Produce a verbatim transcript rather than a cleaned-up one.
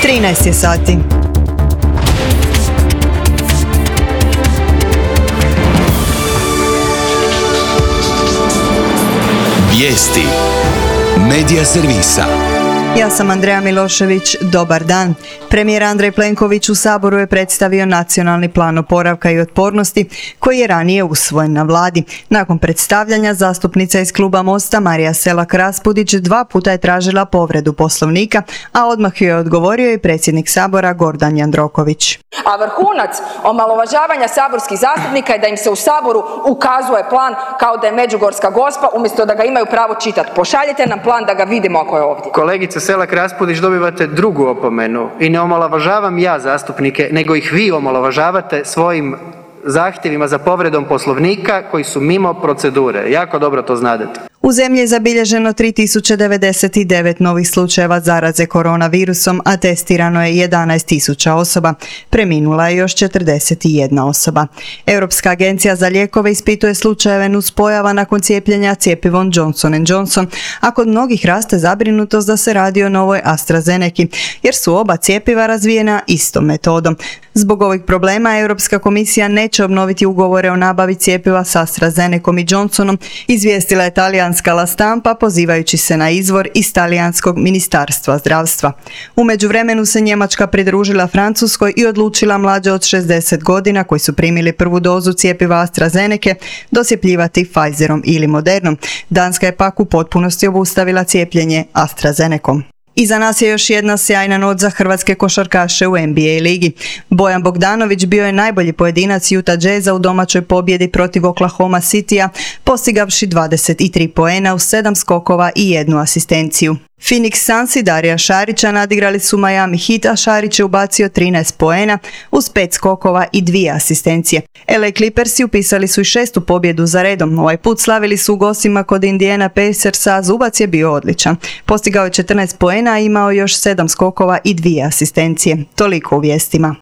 trinaest je sati. Vijesti Medija servisa. Ja sam Andreja Milošević, dobar dan. Premijer Andrej Plenković u Saboru je predstavio Nacionalni plan oporavka i otpornosti koji je ranije usvojen na vladi. Nakon predstavljanja zastupnica iz kluba Mosta Marija Selak Raspudić dva puta je tražila povredu Poslovnika, a odmah joj je odgovorio i predsjednik Sabora Gordan Jandroković. A vrhunac omalovažavanja saborskih zastupnika je da im se u Saboru ukazuje plan kao da je Međugorska Gospa umjesto da ga imaju pravo čitati. Pošaljite nam plan da ga vidimo ako je ovdje. Kolegice Selak Raspudić, dobivate drugu opomenu i ne omalovažavam ja zastupnike, nego ih vi omalovažavate svojim zahtjevima za povredom Poslovnika koji su mimo procedure. Jako dobro to znadete. U zemlji je zabilježeno tri tisuće devedeset devet novih slučajeva zaraze koronavirusom, a testirano je jedanaest tisuća osoba. Preminula je još četrdeset jedna osoba. Europska agencija za lijekove ispituje slučajeve nuspojava nakon cijepljenja cjepivom Johnson and Johnson, a kod mnogih raste zabrinutost da se radi o novoj AstraZeneki, jer su oba cjepiva razvijena istom metodom. Zbog ovih problema Europska komisija neće obnoviti ugovore o nabavi cjepiva s AstraZenecom i Johnsonom, izvijestila je talijanska La Stampa pozivajući se na izvor iz talijanskog ministarstva zdravstva. U međuvremenu se Njemačka pridružila Francuskoj i odlučila mlađe od šezdeset godina koji su primili prvu dozu cjepiva AstraZeneke dosjepljivati Pfizerom ili Modernom. Danska je pak u potpunosti obustavila cijepljenje AstraZenecom. Iza nas je još jedna sjajna noć za hrvatske košarkaše u N B A ligi. Bojan Bogdanović bio je najbolji pojedinac Utah Jazza u domaćoj pobjedi protiv Oklahoma Citya, postigavši dvadeset tri poena u sedam skokova i jednu asistenciju. Phoenix Sunsi Darija Šarića nadigrali su Miami Heat, a Šarić je ubacio trinaest poena uz pet skokova i dvije asistencije. L A Clippersi upisali su i šestu pobjedu za redom. Ovaj put slavili su u gostima kod Indiana Pacersa, a Zubac je bio odličan. Postigao je četrnaest poena, a imao još sedam skokova i dvije asistencije. Toliko u vijestima.